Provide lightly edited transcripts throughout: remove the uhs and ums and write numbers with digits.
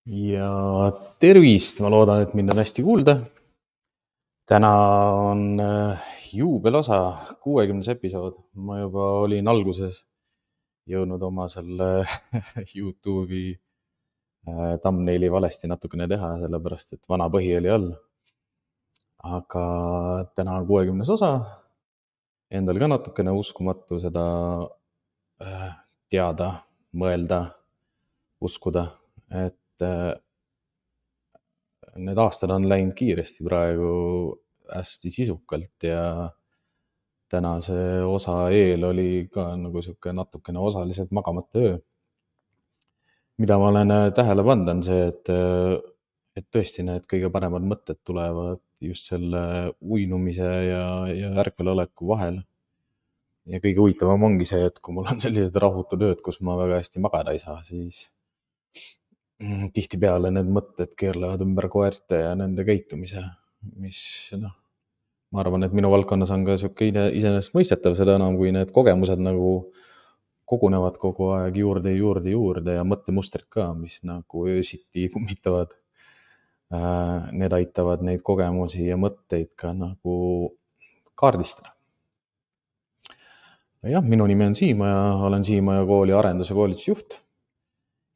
Ja tervist, ma loodan, et mind on hästi kuulda. Täna on juubelosa, 60. episood. Ma juba olin alguses jõudnud oma selle YouTube'i thumbnaili valesti natukene teha, sellepärast et vana põhi oli all. Aga täna on 60. osa. Endal ka natukene uskumatu seda teada, mõelda, uskuda, et need aastad on läinud kiiresti praegu hästi sisukalt ja tänase osa eel oli ka nagu sihuke natukene osaliselt magamata öö. Mida ma olen tähele pannud, on see, et tõesti need kõige paremad mõtted tulevad just selle uinumise ja ärkveloleku vahel. Ja kõige huvitavam ongi see, et kui mul on sellised rahutud ööd, kus ma väga hästi magada ei saa, siis tihtipeale need mõtted keerlevad ümber koerte ja nende käitumise, mis ma arvan, et minu valdkonnas on ka sihuke iseenesest mõistetav, seda enam kui need kogemused nagu kogunevad kogu aeg juurde ja mõttemustrid ka, mis nagu öösiti kummitavad. Need aitavad neid kogemusi ja mõtteid ka nagu kaardistada. Jah, minu nimi on Siimaja, olen Siimaja kooli arendus- ja koolitusjuht.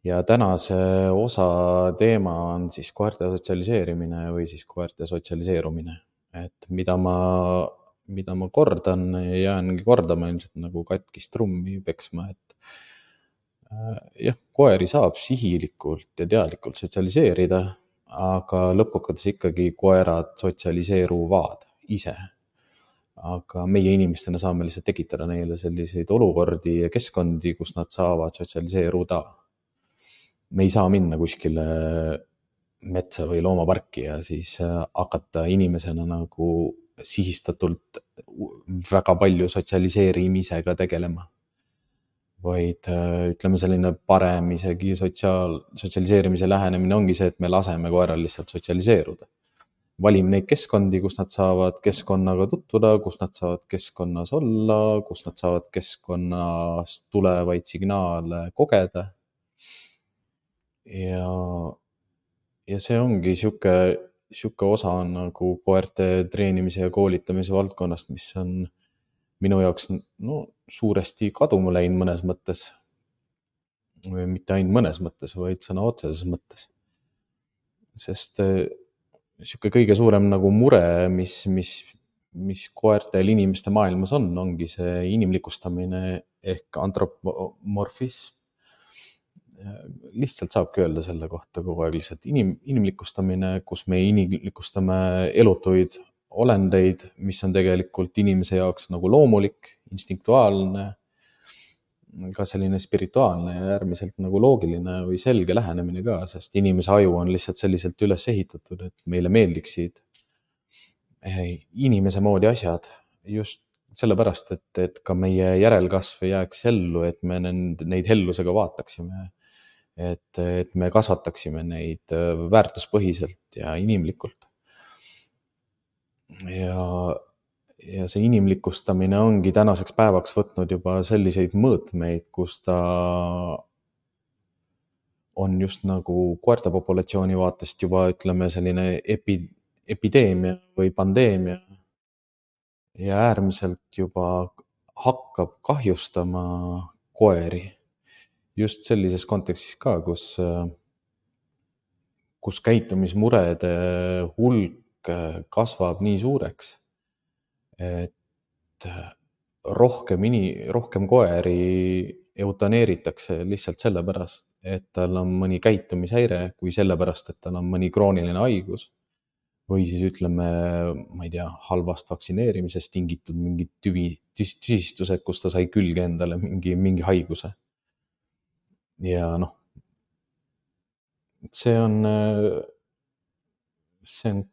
Ja tänase osa teema on siis koerte sotsialiseerimine või siis koerte sotsialiseerumine. Et mida ma kordan ja jäängi kordama ilmselt nagu katkist trummi peksma, et jah, koeri saab sihilikult ja teadlikult sotsialiseerida, aga lõppkokkuvõttes ikkagi koerad sotsialiseeruvad ise. Aga meie inimestena saame lihtsalt tekitada neile selliseid olukordi ja keskkondi, kus nad saavad sotsialiseeruda. Me ei saa minna kuskile metsa või loomaparki ja siis hakata inimesena nagu sihistatult väga palju sotsialiseerimisega tegelema. Vaid ütleme, selline parem isegi sotsialiseerimise lähenemine ongi see, et me laseme koeral lihtsalt sotsialiseeruda. Valime neid keskkondi, kus nad saavad keskkonnaga tutvuda, kus nad saavad keskkonnas olla, kus nad saavad keskkonnast tulevaid signaale kogeda. Ja see ongi sihuke osa nagu koerte treenimise ja koolitamise valdkonnast, mis on minu jaoks suuresti kaduma läinud mõnes mõttes. Või mitte ainult mõnes mõttes, vaid sõna otseses mõttes. Sest sihuke kõige suurem nagu mure, mis koertel inimeste maailmas ongi see inimlikustamine ehk antropomorfism. Lihtsalt saabki öelda selle kohta kogu aeg lihtsalt inimlikustamine, kus me inimlikustame elutuid olendeid, mis on tegelikult inimese jaoks nagu loomulik, instinktuaalne, ka selline spirituaalne ja äärmiselt nagu loogiline või selge lähenemine ka, sest inimese aju on lihtsalt selliselt üles ehitatud, et meile meeldiksid inimese moodi asjad just sellepärast, et ka meie järelkasv jääks ellu, et me neid hellusega vaataksime, et me kasvataksime neid väärtuspõhiselt ja inimlikult. Ja see inimlikustamine ongi tänaseks päevaks võtnud juba selliseid mõõtmeid, kus ta on just nagu koerte populatsiooni vaatest juba ütleme selline epideemia või pandeemia ja äärmiselt juba hakkab kahjustama koeri. Just sellises kontekstis ka, kus käitumismurede hulk kasvab nii suureks, et rohkem koeri eutaneeritakse lihtsalt sellepärast, et tal on mõni käitumishäire, kui sellepärast, et tal on mõni krooniline haigus või siis ütleme, ma ei tea, halvast vaktsineerimisest tingitud mingid tüsistused, kus ta sai külge endale mingi haiguse. Ja see on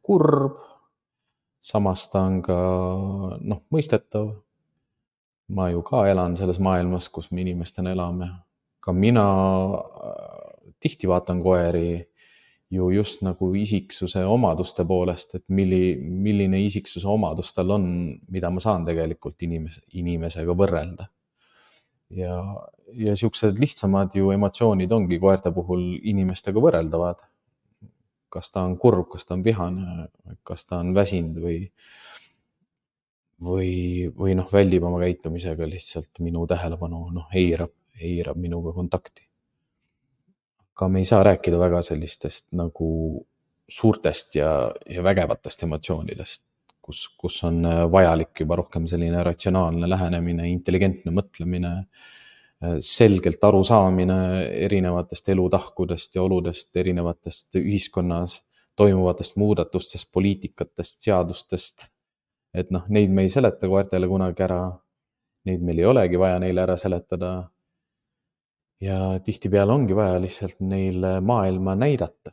kurb, samas ta on ka mõistetav. Ma ju ka elan selles maailmas, kus me inimestena elame. Ka mina tihti vaatan koeri ju just nagu isiksuse omaduste poolest, et milline isiksuse omadus tal on, mida ma saan tegelikult inimesega võrrelda. Ja ja siuksed lihtsamad ju emotsioonid ongi koerte puhul inimestega võrreldavad. Kas ta on kurb, kas ta on vihane, kas ta on väsinud või noh, väldib oma käitumisega lihtsalt minu tähelepanu, eirab minuga kontakti. Aga me ei saa rääkida väga sellistest nagu suurtest ja vägevatest emotsioonidest, kus on vajalik juba rohkem selline ratsionaalne lähenemine, intelligentne mõtlemine, selgelt arusaamine erinevatest elutahkudest ja oludest, erinevatest ühiskonnas toimuvatest muudatustest, poliitikatest, seadustest. Et noh, neid me ei seleta koertele kunagi ära, neid meil ei olegi vaja neile ära seletada. Ja tihtipeale ongi vaja lihtsalt neile maailma näidata.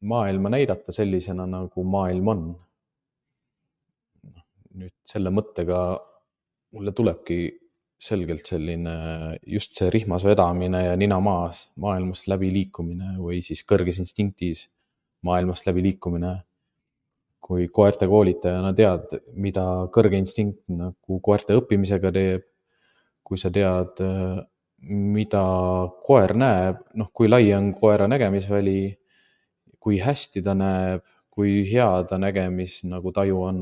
Maailma näidata sellisena, nagu maailm on. Nüüd selle mõttega mulle tulebki selgelt selline just see rihmas vedamine ja nina maas maailmast läbi liikumine või siis kõrges instinktis maailmast läbi liikumine. Kui koerte koolitajana tead, mida kõrge instinkt nagu koerte õppimisega teeb, kui sa tead, mida koer näeb, kui lai on koera nägemisväli, kui hästi ta näeb, kui hea ta nägemis nagu taju on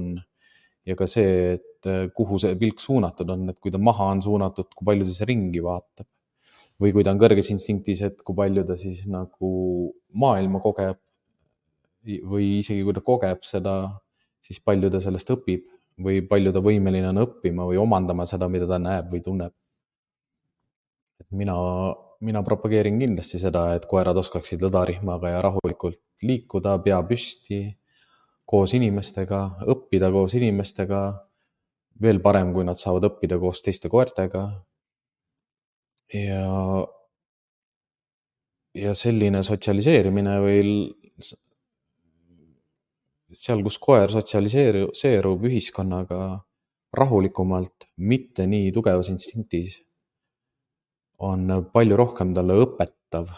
ja ka see, et kuhu see pilk suunatud on, et kui ta maha on suunatud, kui palju ta ringi vaatab või kui ta on kõrges instinktis, et kui palju ta siis nagu maailma kogeb või isegi kui ta kogeb seda, siis palju ta sellest õpib või palju ta võimeline on õppima või omandama seda, mida ta näeb või tunneb. Et mina propageerin kindlasti seda, et koerad oskaksid lõdarihmaga ja rahulikult liikuda, pea püsti, koos inimestega, õppida koos inimestega, veel parem, kui nad saavad õppida koos teiste koertega. Ja selline sotsialiseerimine või seal, kus koer sotsialiseerub ühiskonnaga rahulikumalt, mitte nii tugevas instinktis, on palju rohkem talle õpetav.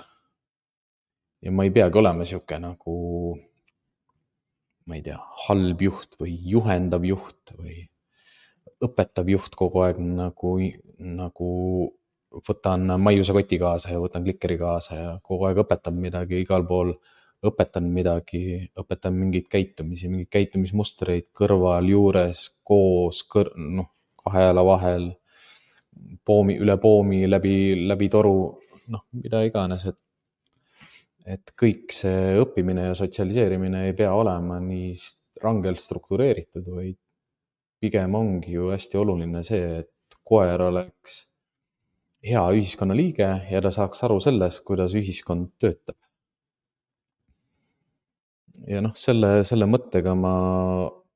Ja ma ei peagi olema siuke nagu, ma ei tea, halb juht või juhendav juht või õpetav juht kogu aeg nagu võtan maiusekoti kaasa ja võtan klikeri kaasa ja kogu aeg õpetan midagi igal pool, õpetan midagi, õpetan mingeid käitumisi, mingeid käitumismustreid kõrval, juures, koos, kahe jala vahel, üle poomi, läbi toru, mida iganes, et kõik see õppimine ja sotsialiseerimine ei pea olema nii rangelt struktureeritud, vaid pigem ongi ju hästi oluline see, et koer oleks hea ühiskonnaliige ja ta saaks aru sellest, kuidas ühiskond töötab. Ja selle mõttega ma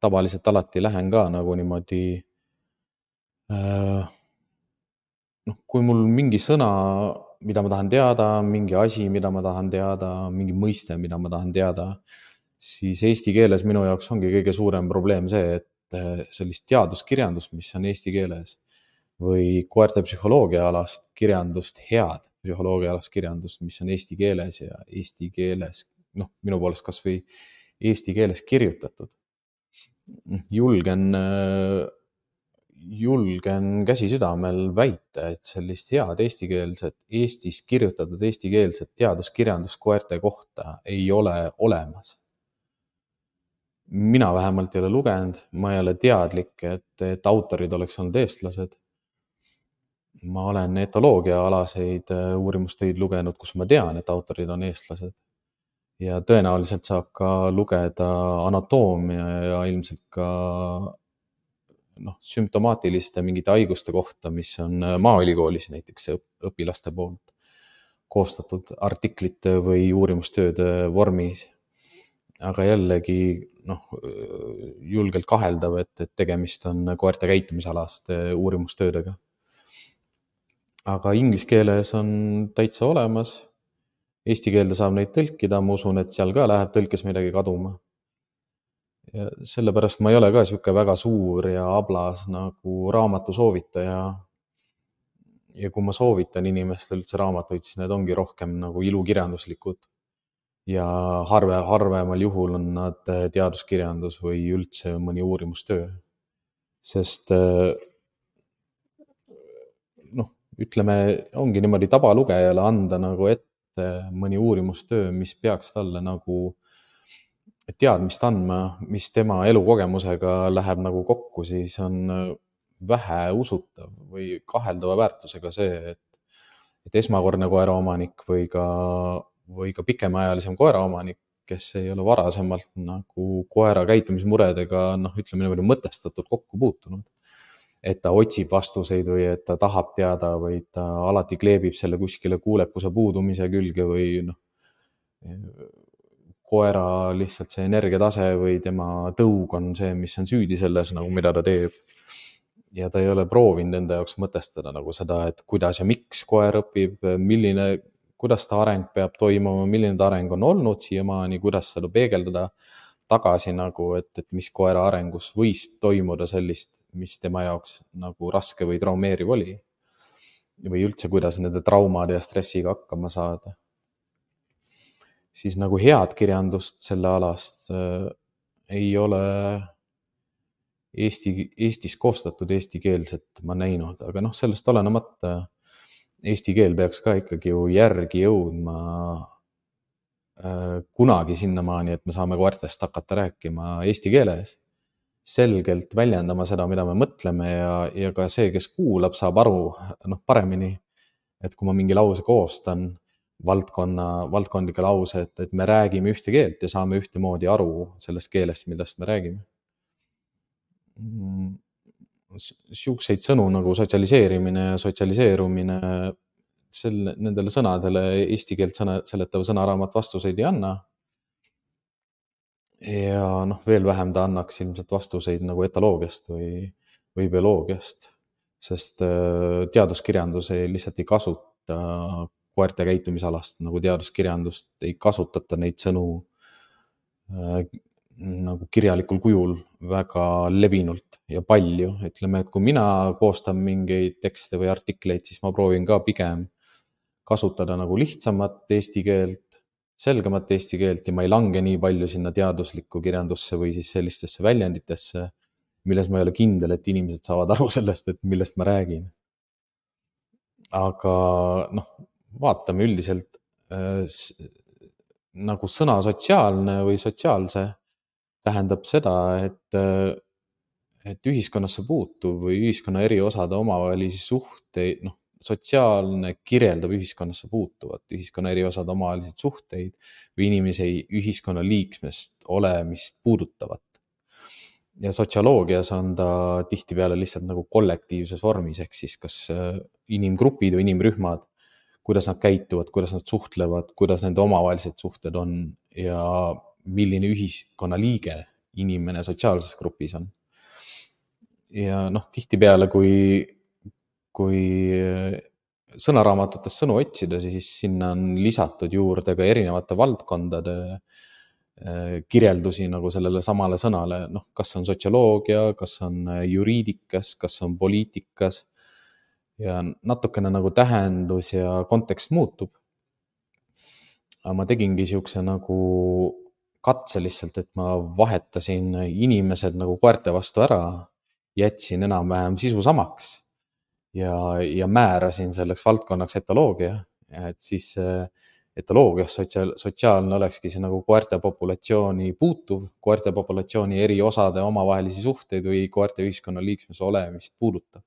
tavaliselt alati lähen ka nagu niimoodi, kui mul mingi sõna, mida ma tahan teada, mingi asi, mida ma tahan teada, mingi mõiste, mida ma tahan teada, siis eesti keeles minu jaoks ongi kõige suurem probleem see, et sellist teaduskirjandust, mis on eesti keeles või koerte psühholoogiaalast kirjandust, head psühholoogiaalast kirjandust, mis on eesti keeles ja eesti keeles, minu poolest kas või eesti keeles kirjutatud. Julgen käsi südamel väita, et sellist head eestikeelset, Eestis kirjutatud eestikeelset teaduskirjandust koerte kohta ei ole olemas. Mina vähemalt ei ole lugenud, ma ei ole teadlik, et autorid oleks olnud eestlased. Ma olen etoloogiaalaseid uurimustöid lugenud, kus ma tean, et autorid on eestlased. Ja tõenäoliselt saab ka lugeda anatoomia ja ilmselt ka sümptomaatiliste mingite haiguste kohta, mis on Maaülikoolis näiteks õpilaste poolt koostatud artiklite või uurimustööde vormis. Aga jällegi julgelt kaheldav, et tegemist on koerte käitumisalaste uurimustöödega. Aga inglise keeles on täitsa olemas. Eesti keelde saab neid tõlkida, ma usun, et seal ka läheb tõlkes midagi kaduma. Ja sellepärast ma ei ole ka siuke väga suur ja ablas nagu raamatu soovitaja. Ja kui ma soovitan inimestel üldse raamatuid, siis need ongi rohkem nagu ilukirjanduslikud. Ja harvemal juhul on nad teaduskirjandus või üldse mõni uurimustöö. Sest ütleme, ongi niimoodi tabalugejale anda nagu ette mõni uurimustöö, mis peaks talle nagu teadmist andma, mis tema elukogemusega läheb nagu kokku, siis on vähe usutav või kaheldava väärtusega see, et esmakordne koeraomanik või ka pikemaajalisem koeraomanik, kes ei ole varasemalt nagu koera käitumismuredega, ütleme niimoodi mõtestatult kokku puutunud. Et ta otsib vastuseid või et ta tahab teada või ta alati kleebib selle kuskile kuulekuse puudumise külge või koera lihtsalt see energiatase või tema tõug on see, mis on süüdi selles, nagu mida ta teeb. Ja ta ei ole proovinud enda jaoks mõtestada nagu seda, et kuidas ja miks koer õpib, kuidas ta areng peab toimuma, milline ta areng on olnud siiamaani, kuidas seda peegeldada tagasi nagu, et mis koera arengus võis toimuda sellist, mis tema jaoks nagu raske või traumeeriv oli. Või üldse, kuidas nende traumade ja stressiga hakkama saada. Siis nagu head kirjandust selle alast ei ole Eestis koostatud eestikeelset ma näinud, aga sellest olenemata eesti keel peaks ka ikkagi ju järgi jõudma kunagi sinnamaani, et me saame koertest hakata rääkima eesti keeles, selgelt väljendama seda, mida me mõtleme ja ka see, kes kuulab, saab aru paremini, et kui ma mingi lause koostan, valdkondlikke lause, et me räägime ühte keelt ja saame ühtemoodi aru sellest keelest, millest me räägime. Siukseid sõnu nagu sotsialiseerimine ja sotsialiseerumine, nendele sõnadele eesti keelt seletav sõnaraamat vastuseid ei anna. Ja veel vähem ta annaks ilmselt vastuseid nagu etoloogiast või bioloogiast, sest teaduskirjandus lihtsalt ei kasuta koerte käitumisalast nagu teaduskirjandust, ei kasutata neid sõnu nagu kirjalikul kujul väga levinult ja palju. Ütleme, et kui mina koostan mingeid tekste või artikleid, siis ma proovin ka pigem kasutada nagu lihtsamat eesti keelt, selgemat eesti keelt ja ma ei lange nii palju sinna teaduslikku kirjandusse või siis sellistesse väljenditesse, milles ma ei ole kindel, et inimesed saavad aru sellest, et millest ma räägin. Aga vaatame üldiselt nagu sõna sotsiaalne või sotsiaalse tähendab seda, et ühiskonnasse puutuv või ühiskonna eri osade omavahelisi suhteid, sotsiaalne kirjeldab ühiskonnasse puutuvat, ühiskonna eri osade omavahelisi suhteid või inimese ühiskonna liikmest olemist puudutavat. Ja sotsioloogias on ta tihtipeale lihtsalt nagu kollektiivses vormis, ehk siis kas inimgrupid või inimrühmad, kuidas nad käituvad, kuidas nad suhtlevad, kuidas nende omavahelised suhted on ja milline ühiskonna liige inimene sotsiaalses grupis on. Ja tihtipeale, kui sõnaraamatutes sõnu otsida, siis sinna on lisatud juurde ka erinevate valdkondade kirjeldusi nagu sellele samale sõnale, kas on sotsioloogia, kas on juriidikas, kas on poliitikas ja natukene nagu tähendus ja kontekst muutub. Aga ma tegingi siukse nagu katse lihtsalt, et ma vahetasin inimesed nagu koerte vastu ära, jätsin enam-vähem sisu samaks ja määrasin selleks valdkonnaks etoloogia, et siis etoloogias sotsiaalne olekski see nagu koerte populatsiooni puutuv, koerte populatsiooni eri osade omavahelisi suhteid või koerte ühiskonna liikmese olemist puudutav.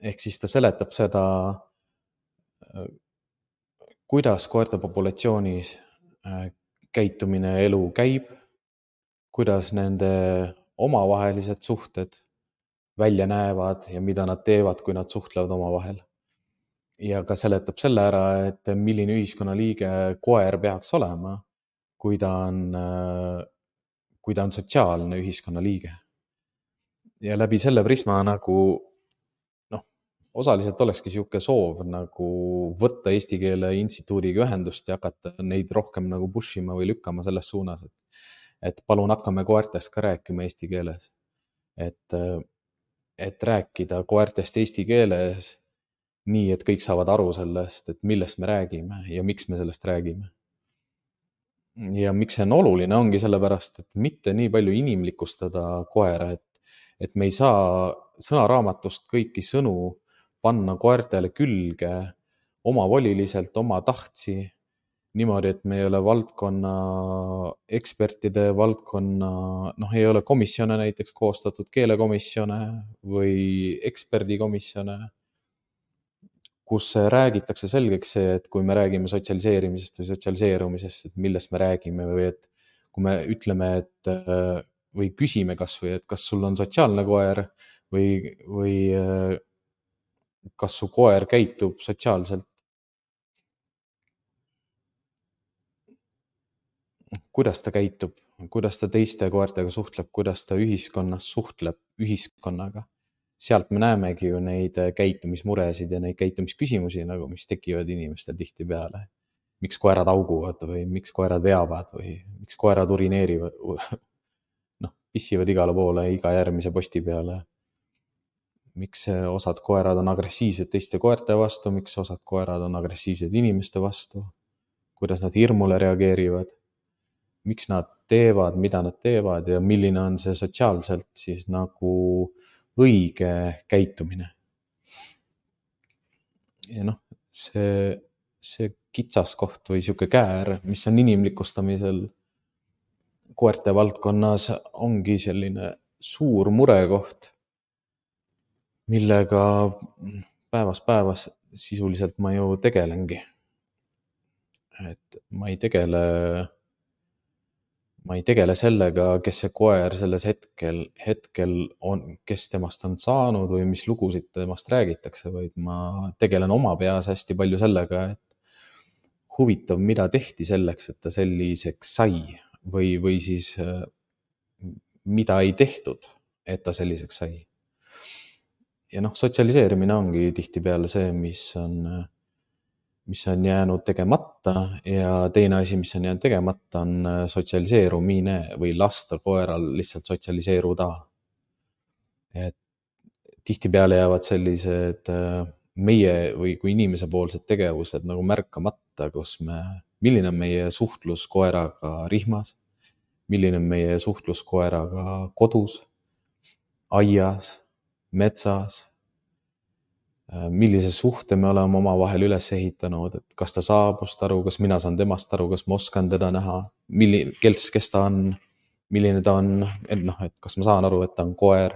Ehk siis ta seletab seda, kuidas koerte populatsioonis käitumine ja elu käib, kuidas nende omavahelised suhted välja näevad ja mida nad teevad, kui nad suhtlevad omavahel. Ja ka seletab selle ära, et milline ühiskonnaliige koer peaks olema, kui ta on sotsiaalne ühiskonnaliige. Ja läbi selle prisma nagu osaliselt olekski siuke soov nagu võtta Eesti Keele Instituudiga ühendust ja hakata neid rohkem nagu push ima või lükkama selles suunas, et palun hakkame koertest ka rääkima eesti keeles. Et rääkida koertest eesti keeles nii, et kõik saavad aru sellest, et millest me räägime ja miks me sellest räägime. Ja miks see on oluline, ongi sellepärast, et mitte nii palju inimlikustada koera, et me ei saa sõnaraamatust kõiki sõnu panna koertele külge omavoliliselt, oma tahtsi, niimoodi, et me ei ole valdkonna ekspertide, ei ole komisjone näiteks koostatud, keelekomisjone või eksperdikomisjone, kus räägitakse selgeks see, et kui me räägime sotsialiseerimisest või sotsialiseerumisest, et millest me räägime või et kui me ütleme, et või küsime kasvõi, et kas sul on sotsiaalne koer või kas su koer käitub sotsiaalselt, kuidas ta käitub, kuidas ta teiste koertega suhtleb, kuidas ta ühiskonnas suhtleb ühiskonnaga. Sealt me näemegi ju neid käitumismuresid ja neid käitumisküsimusi, nagu mis tekivad inimestel tihtipeale. Miks koerad auguvad või miks koerad veavad või miks koerad urineerivad, pissivad igale poole, iga järgmise posti peale. Miks osad koerad on agressiivsed teiste koerte vastu, miks osad koerad on agressiivsed inimeste vastu, kuidas nad hirmule reageerivad, miks nad teevad, mida nad teevad ja milline on see sotsiaalselt siis nagu õige käitumine. Ja see kitsaskoht või sihuke käär, mis on inimlikustamisel koerte valdkonnas, ongi selline suur murekoht, millega päevas sisuliselt ma ju tegelengi. Et ma ei tegele sellega, kes see koer selles hetkel on, kes temast on saanud või mis lugusid temast räägitakse, vaid ma tegelen oma peas hästi palju sellega, et huvitav, mida tehti selleks, et ta selliseks sai või siis mida ei tehtud, et ta selliseks sai. Ja sotsialiseerimine ongi tihtipeale see, mis on jäänud tegemata ja teine asi, mis on jäänud tegemata, on sotsialiseerumine või lasta koeral lihtsalt sotsialiseeruda. Et tihtipeale jäävad sellised meie või kui inimese poolsed tegevused nagu märkamata, milline on meie suhtlus koeraga rihmas, milline on meie suhtlus koeraga kodus, aias, metsas, millise suhte me oleme omavahel üles ehitanud, et kas ta saabust aru, kas mina saan temast aru, kas ma oskan teda näha, kes ta on, milline ta on, et kas ma saan aru, et ta on koer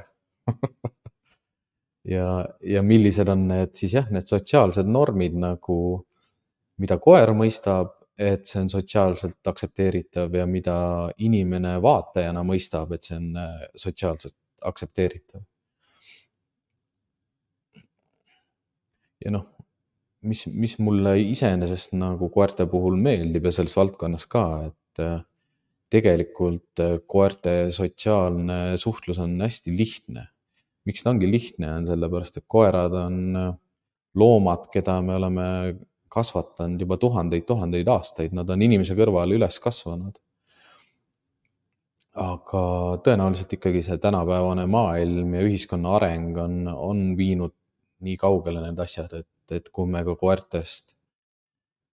ja millised on need need sotsiaalsed normid nagu, mida koer mõistab, et see on sotsiaalselt aktsepteeritav ja mida inimene vaatajana mõistab, et see on sotsiaalselt aktsepteeritav. Ja mis mulle iseenesest nagu koerte puhul meeldib ja selles valdkonnas ka, et tegelikult koerte sotsiaalne suhtlus on hästi lihtne. Miks ta ongi lihtne, on sellepärast, et koerad on loomad, keda me oleme kasvatanud juba tuhandeid aastaid, nad on inimese kõrval üles kasvanud. Aga tõenäoliselt ikkagi see tänapäevane maailm ja ühiskonna areng on viinud nii kaugele need asjad, et kui me ka koertest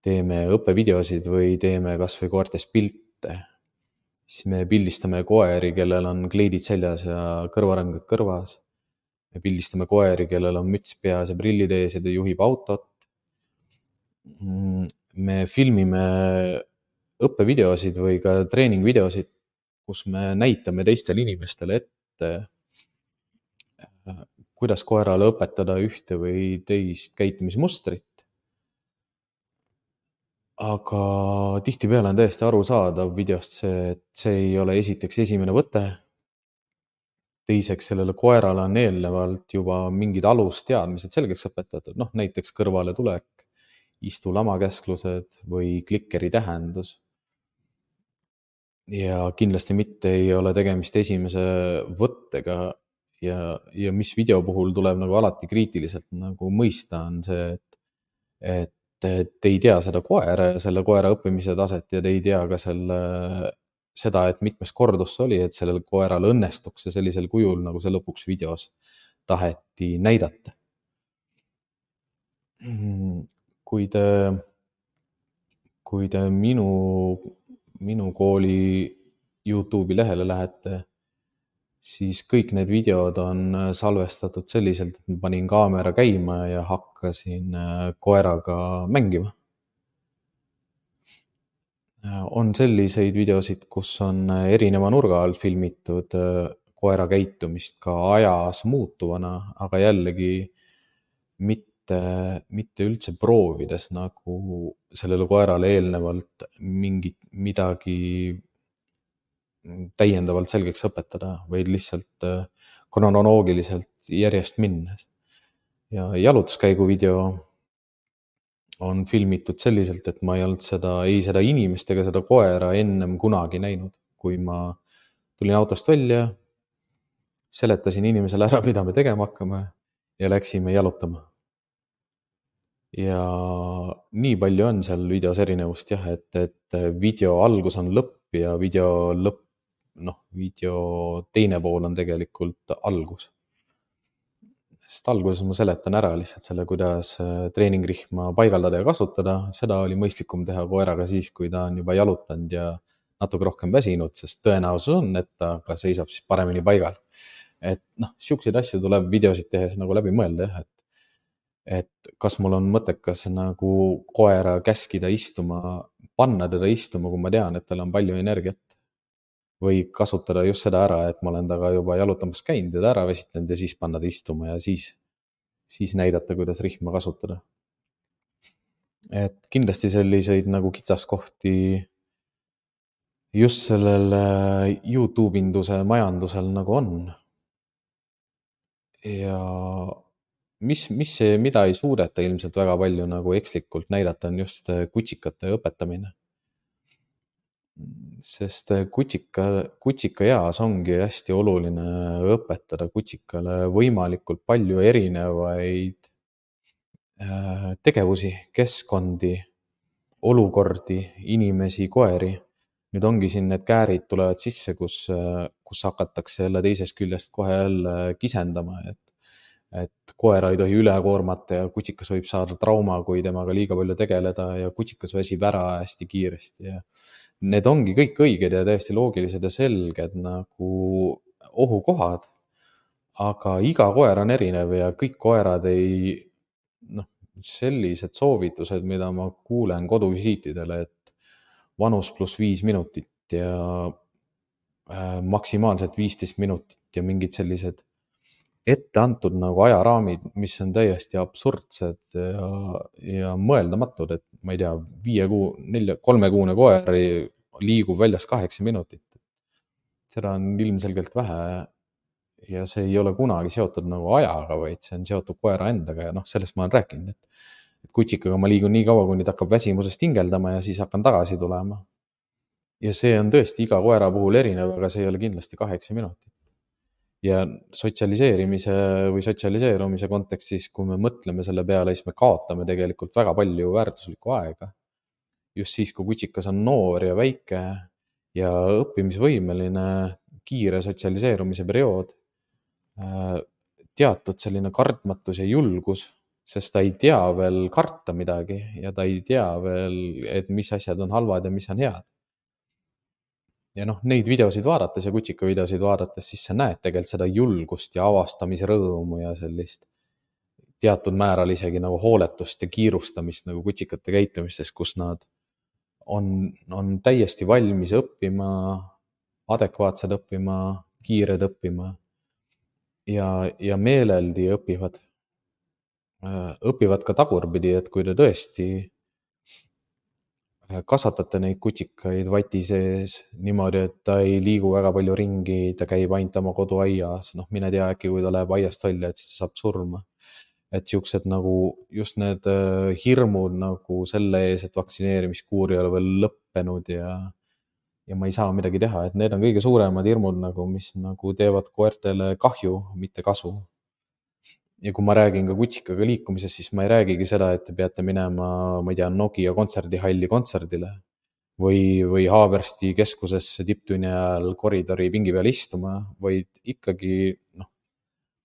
teeme õppevideosid või teeme kas või koertest pilte, siis me pildistame koeri, kellel on kleidid seljas ja kõrvarõngad kõrvas. Me pildistame koeri, kellel on müts peas ja prillid ees ja ta juhib autot. Me filmime õppevideosid või ka treeningvideosid, kus me näitame teistele inimestele ette, kuidas koerale õpetada ühte või teist käitumismustrit. Aga tihtipeale on täiesti arusaadav videost see, et see ei ole esiteks esimene võte. Teiseks, sellele koerale on eelnevalt juba mingid alusteadmised selgeks õpetatud, näiteks kõrvaletulek, istu lamakäsklused või klikkeri tähendus. Ja kindlasti mitte ei ole tegemist esimese võttega ja mis video puhul tuleb nagu alati kriitiliselt nagu mõista, on see, et te ei tea seda koera ja selle koera õppimise taset ja te ei tea ka seda, et mitmes kordus see oli, et sellel koeral õnnestuks see sellisel kujul, nagu see lõpuks videos taheti näidata. Kui te minu kooli YouTube'i lehele lähete, siis kõik need videod on salvestatud selliselt, et ma panin kaamera käima ja hakkasin koeraga mängima. On selliseid videosid, kus on erineva nurga alt filmitud koera käitumist ka ajas muutuvana, aga jällegi mitte üldse proovides nagu sellele koerale eelnevalt midagi täiendavalt selgeks õpetada, vaid lihtsalt kronoloogiliselt järjest minnes. Ja jalutuskäigu video on filmitud selliselt, et ma ei olnud seda inimest ega seda koera ennem kunagi näinud. Kui ma tulin autost välja, seletasin inimesele ära, mida me tegema hakkame ja läksime jalutama. Ja nii palju on seal videos erinevust jah, et video algus on lõpp ja video teine pool on tegelikult algus. Sest alguses ma seletan ära lihtsalt selle, kuidas treeningrihma paigaldada ja kasutada. Seda oli mõistlikum teha koeraga siis, kui ta on juba jalutanud ja natuke rohkem väsinud, sest tõenäosus on, et ta ka seisab siis paremini paigal. Et siukseid asju tuleb videosid tehes nagu läbi mõelda jah, et kas mul on mõttekas nagu koera käskida istuma, panna teda istuma, kui ma tean, et tal on palju energiat. Või kasutada just seda ära, et ma olen taga juba jalutamas käinud ja ta ära väsitanud ja siis panna ta istuma ja siis näidata, kuidas rihma kasutada. Et kindlasti selliseid nagu kitsaskohti just sellel YouTube-induse majandusel nagu on. Ja mida ei suudeta ilmselt väga palju nagu ekslikult näidata, on just kutsikate õpetamine. Sest kutsika eas ongi hästi oluline õpetada kutsikale võimalikult palju erinevaid tegevusi, keskkondi, olukordi, inimesi, koeri. Nüüd ongi siin need käärid tulevad sisse, kus hakatakse jälle teisest küljest kohe jälle kisendama, et koera ei tohi üle koormata ja kutsikas võib saada trauma, kui temaga liiga palju tegeleda ja kutsikas väsib ära hästi kiiresti ja need ongi kõik õiged ja täiesti loogilised ja selged nagu ohukohad, aga iga koer on erinev ja kõik koerad sellised soovitused, mida ma kuulen koduvisiitidele, et vanus +5 minutit ja maksimaalselt 15 minutit ja mingid sellised ette antud nagu ajaraamid, mis on täiesti absurdsed ja mõeldamatud, et ma ei tea, 3-kuune koer liigub väljas 8 minutit. Seda on ilmselgelt vähe ja see ei ole kunagi seotud nagu ajaga, vaid see on seotud koera endaga ja sellest ma olen rääkinud, et kutsikaga ma liigun nii kaua, kuni ta hakkab väsimusest hingeldama ja siis hakkan tagasi tulema. Ja see on tõesti iga koera puhul erinev, aga see ei ole kindlasti 8 minutit. Ja sotsialiseerimise või sotsialiseerumise kontekstis, kui me mõtleme selle peale, siis me kaotame tegelikult väga palju väärtuslikku aega. Just siis, kui kutsikas on noor ja väike ja õppimisvõimeline, kiire sotsialiseerumise periood, teatud selline kartmatus ja julgus, sest ta ei tea veel karta midagi ja ta ei tea veel, et mis asjad on halvad ja mis on head. Ja neid videosid vaadates ja kutsika videosid vaadates, siis sa näed tegelikult seda julgust ja avastamise rõõmu ja sellist teatud määral isegi nagu hooletust ja kiirustamist nagu kutsikate käitumistes, kus nad on täiesti valmis õppima, adekvaatsed õppima, kiired õppima ja meeleldi õpivad. Õpivad ka tagurpidi, et kui te tõesti kasvatate neid kutsikaid vati sees niimoodi, et ta ei liigu väga palju ringi, ta käib ainult oma koduaias, mine tea, äkki kui ta läheb aiast välja, et siis ta saab surma. Et siuksed nagu just need hirmud nagu selle ees, et vaktsineerimiskuur ei ole veel lõppenud ja ma ei saa midagi teha, et need on kõige suuremad hirmud nagu, mis nagu teevad koertele kahju, mitte kasu. Ja kui ma räägin ka kutsikaga liikumisest, siis ma ei räägigi seda, et te peate minema, ma ei tea, Nokia kontserdihalli kontserdile või Haabersti keskusesse tipptunni ajal koridori pingi peal istuma, vaid ikkagi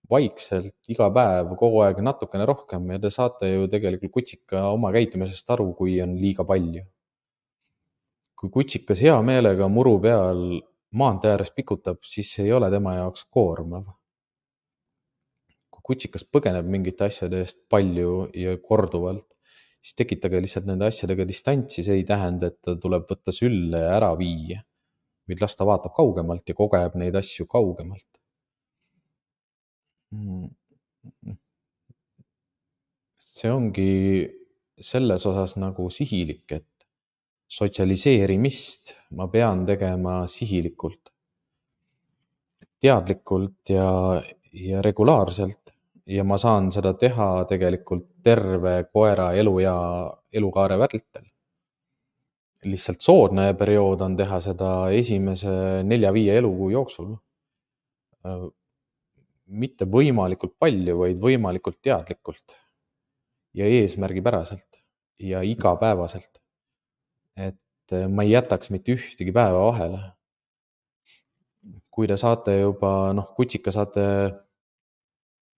vaikselt iga päev kogu aeg natukene rohkem ja te saate ju tegelikult kutsika oma käitumisest aru, kui on liiga palju. Kui kutsikas hea meelega muru peal maantee ääres pikutab, siis see ei ole tema jaoks koormav. Kui kutsikas põgeneb mingite asjade eest palju ja korduvalt, siis tekitage lihtsalt nende asjadega distantsi, see ei tähenda, et ta tuleb võtta sülle ja ära viia. Vaid las ta vaatab kaugemalt ja kogeb neid asju kaugemalt. See ongi selles osas nagu sihilik, et sotsialiseerimist ma pean tegema sihilikult, teadlikult ja regulaarselt ja ma saan seda teha tegelikult terve koera elukaare vältel. Lihtsalt soodne periood on teha seda esimese 4-5 elukuu jooksul. Mitte võimalikult palju, vaid võimalikult teadlikult ja eesmärgipäraselt ja igapäevaselt. Et ma ei jätaks mitte ühtegi päeva vahele. Kui te saate juba, kutsika saate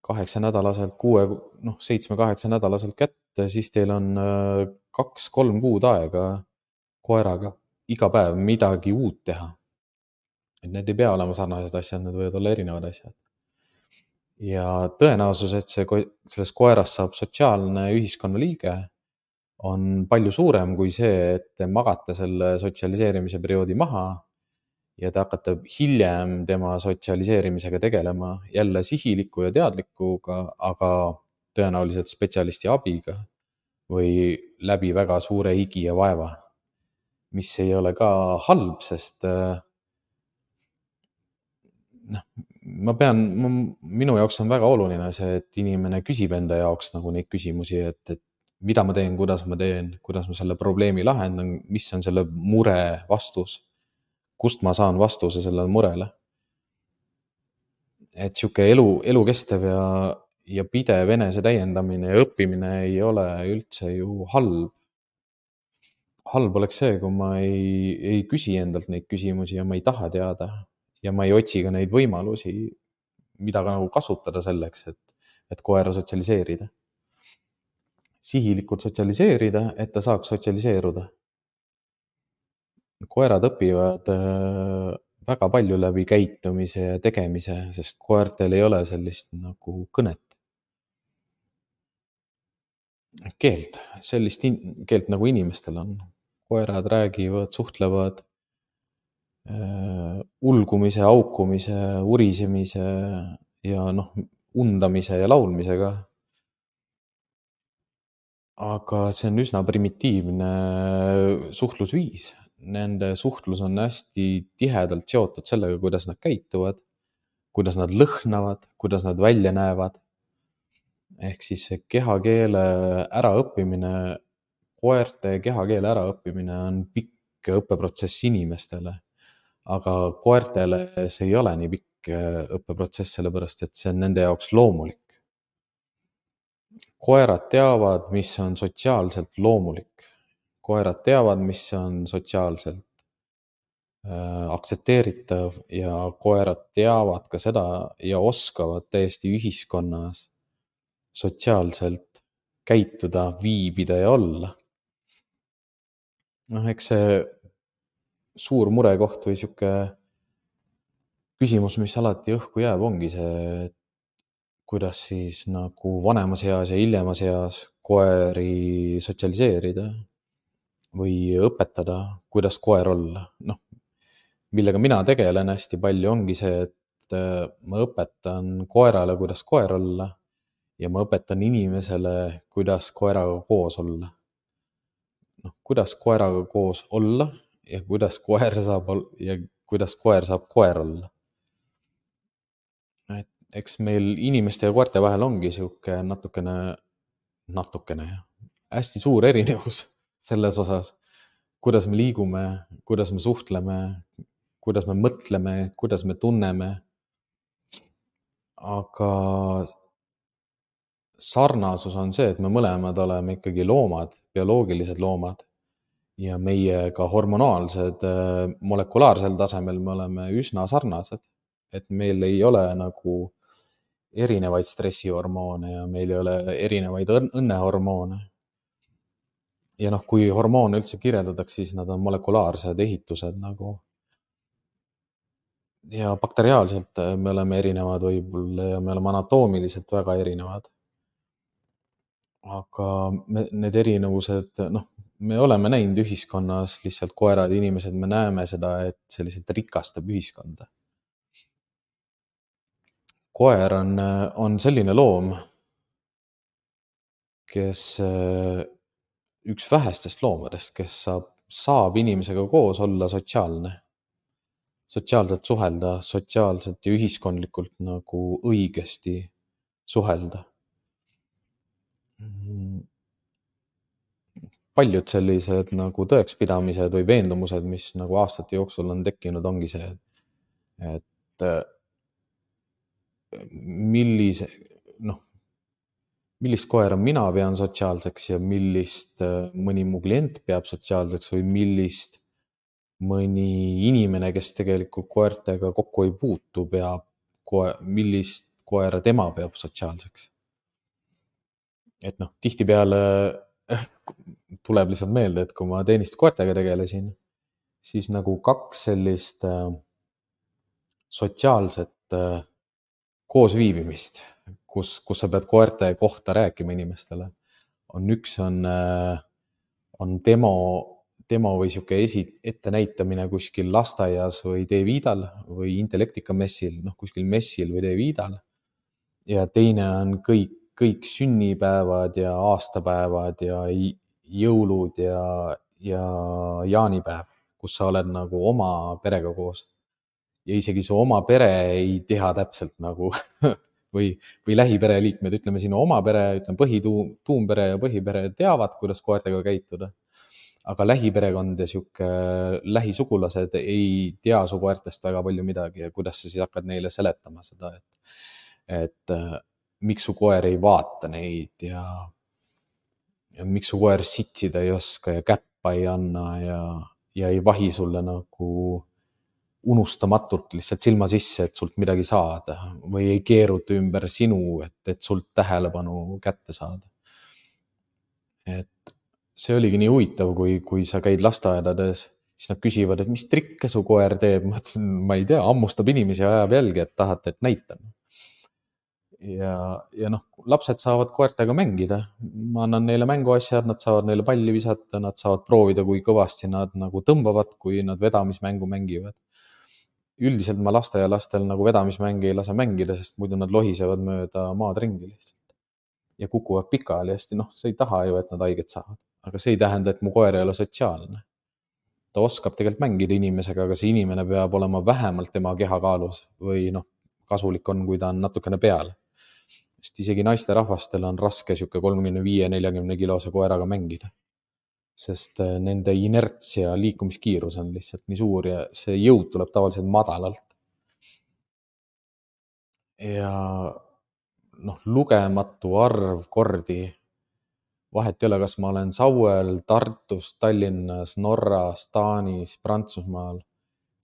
8-nädalaselt, 7-8 nädalaselt kätte, siis teil on 2-3 kuud aega koeraga iga päev midagi uut teha. Et need ei pea olema sarnased asjad, need võivad olla erinevad asjad. Ja tõenäosus, et sellest koerast saab sotsiaalne ühiskonnaliige, on palju suurem kui see, et te magate selle sotsialiseerimise perioodi maha ja te hakkate hiljem tema sotsialiseerimisega tegelema jälle sihiliku ja teadlikuga, aga tõenäoliselt spetsialisti abiga või läbi väga suure higi ja vaeva, mis ei ole ka halb, sest minu jaoks on väga oluline see, et inimene küsib enda jaoks nagu neid küsimusi, et mida ma teen, kuidas ma selle probleemi lahendan, mis on selle mure vastus, kust ma saan vastuse sellele murele. Et sihuke elukestev ja pidev enese täiendamine ja õppimine ei ole üldse ju halb. Halb oleks see, kui ma ei küsi endalt neid küsimusi ja ma ei taha teada ja ma ei otsi ka neid võimalusi, mida ka nagu kasutada selleks, et koera sotsialiseerida. Sihilikult sotsialiseerida, et ta saaks sotsialiseeruda. Koerad õpivad väga palju läbi käitumise ja tegemise, sest koertel ei ole sellist nagu kõnet. Keelt, sellist keelt nagu inimestel on. Koerad räägivad, suhtlevad ulgumise, haukumise, urisemise ja undamise ja laulmisega. Aga see on üsna primitiivne suhtlusviis. Nende suhtlus on hästi tihedalt seotud sellega, kuidas nad käituvad, kuidas nad lõhnavad, kuidas nad välja näevad. Ehk siis see kehakeele äraõppimine, koerte kehakeele äraõppimine on pikk õppeprotsess inimestele. Aga koertele see ei ole nii pikk õppeprotsess, sellepärast et see on nende jaoks loomulik. Koerad teavad, mis on sotsiaalselt loomulik. Koerad teavad, mis on sotsiaalselt aktsepteeritav ja koerad teavad ka seda ja oskavad täiesti ühiskonnas sotsiaalselt käituda, viibida ja olla. Eks see suur murekoht või sihuke küsimus, mis alati õhku jääb, ongi see, kuidas siis nagu vanemas eas ja hiljemas eas koeri sotsialiseerida või õpetada, kuidas koer olla. Millega mina tegelen hästi palju, ongi see, et ma õpetan koerale, kuidas koer olla ja ma õpetan inimesele, kuidas koeraga koos olla. Kuidas koeraga koos olla ja kuidas koer saab koer olla. Eks meil inimeste ja koerte vahel ongi sihuke natukene hästi suur erinevus selles osas, kuidas me liigume, kuidas me suhtleme, kuidas me mõtleme, kuidas me tunneme. Aga sarnasus on see, et me mõlemad oleme ikkagi loomad, bioloogilised loomad ja meie ka hormonaalsed, molekulaarsel tasemel me oleme üsna sarnased, et meil ei ole nagu erinevaid stressihormoone ja meil ei ole erinevaid õnnehormoone. Ja kui hormoone üldse kirjeldatakse, siis nad on molekulaarsed ehitused nagu. ja bakteriaalselt me oleme erinevad võib-olla ja me oleme anatoomiliselt väga erinevad. Aga need erinevused, me oleme näinud ühiskonnas lihtsalt koerad ja inimesed, me näeme seda, et see lihtsalt rikastab ühiskonda. Koer on selline loom, kes üks vähestest loomadest, kes saab inimesega koos olla sotsiaalne, sotsiaalselt suhelda, sotsiaalselt ja ühiskondlikult nagu õigesti suhelda. Paljud sellised nagu tõekspidamised või veendumused, mis nagu aastate jooksul on tekkinud, ongi see, et millist koera mina pean sotsiaalseks ja millist mõni mu klient peab sotsiaalseks või millist mõni inimene, kes tegelikult koertega kokku ei puutu, millist koera tema peab sotsiaalseks. Et tihtipeale tuleb lihtsalt meelde, et kui ma teenistuskoertega tegelesin, siis nagu kaks sellist sotsiaalset koosviibimist, kus sa pead koerte kohta rääkima inimestele, üks on demo või sihuke ettenäitamine kuskil lasteaias või D-Viidal või Intellektika messil, kuskil messil või D-Viidal. Ja teine on kõik sünnipäevad ja aastapäevad ja jõulud ja jaanipäev, kus sa oled nagu oma perega koos. Ja isegi su oma pere ei tea täpselt nagu või lähipereliikmed, ütleme sinu oma pere, ütleme tuumpere ja põhipere teavad, kuidas koertega käituda. Aga lähiperekond ja sihuke lähisugulased ei tea su koertest väga palju midagi ja kuidas sa siis hakkad neile seletama seda, et miks su koer ei vaata neid ja miks su koer sitsida ei oska ja käppa ei anna ja ei vahi sulle nagu unustamatult lihtsalt silma sisse, et sult midagi saada või ei keeruta ümber sinu, et sult tähelepanu kätte saada. Et see oligi nii huvitav, kui sa käid lasteaedades, siis nad küsivad, et mis trikke su koer teeb. Ma ütlesin, ma ei tea, hammustab inimesi ja ajab jälgi, et tahate, et näitan. Ja lapsed saavad koertega mängida. Ma annan neile mänguasjad, nad saavad neile palli visata, nad saavad proovida, kui kõvasti nad nagu tõmbavad, kui nad vedamismängu mängivad. Üldiselt ma lasteaialastel nagu vedamismänge ei lase mängida, sest muidu nad lohisevad mööda maad ringi lihtsalt. Ja kukuvad pikali hästi, sa ei taha ju, et nad haiget saavad. Aga see ei tähenda, et mu koer ei ole sotsiaalne. Ta oskab tegelikult mängida inimesega, aga see inimene peab olema vähemalt tema kehakaalus või kasulik on, kui ta on natukene peal. Sest isegi naisterahvastel on raske sihuke 35-40 kilose koeraga mängida. Sest nende inerts ja liikumiskiirus on lihtsalt nii suur ja see jõud tuleb tavaliselt madalalt. Ja lugematu arv kordi, vahet ei ole, kas ma olen Sauel, Tartus, Tallinnas, Norras, Taanis, Prantsusmaal,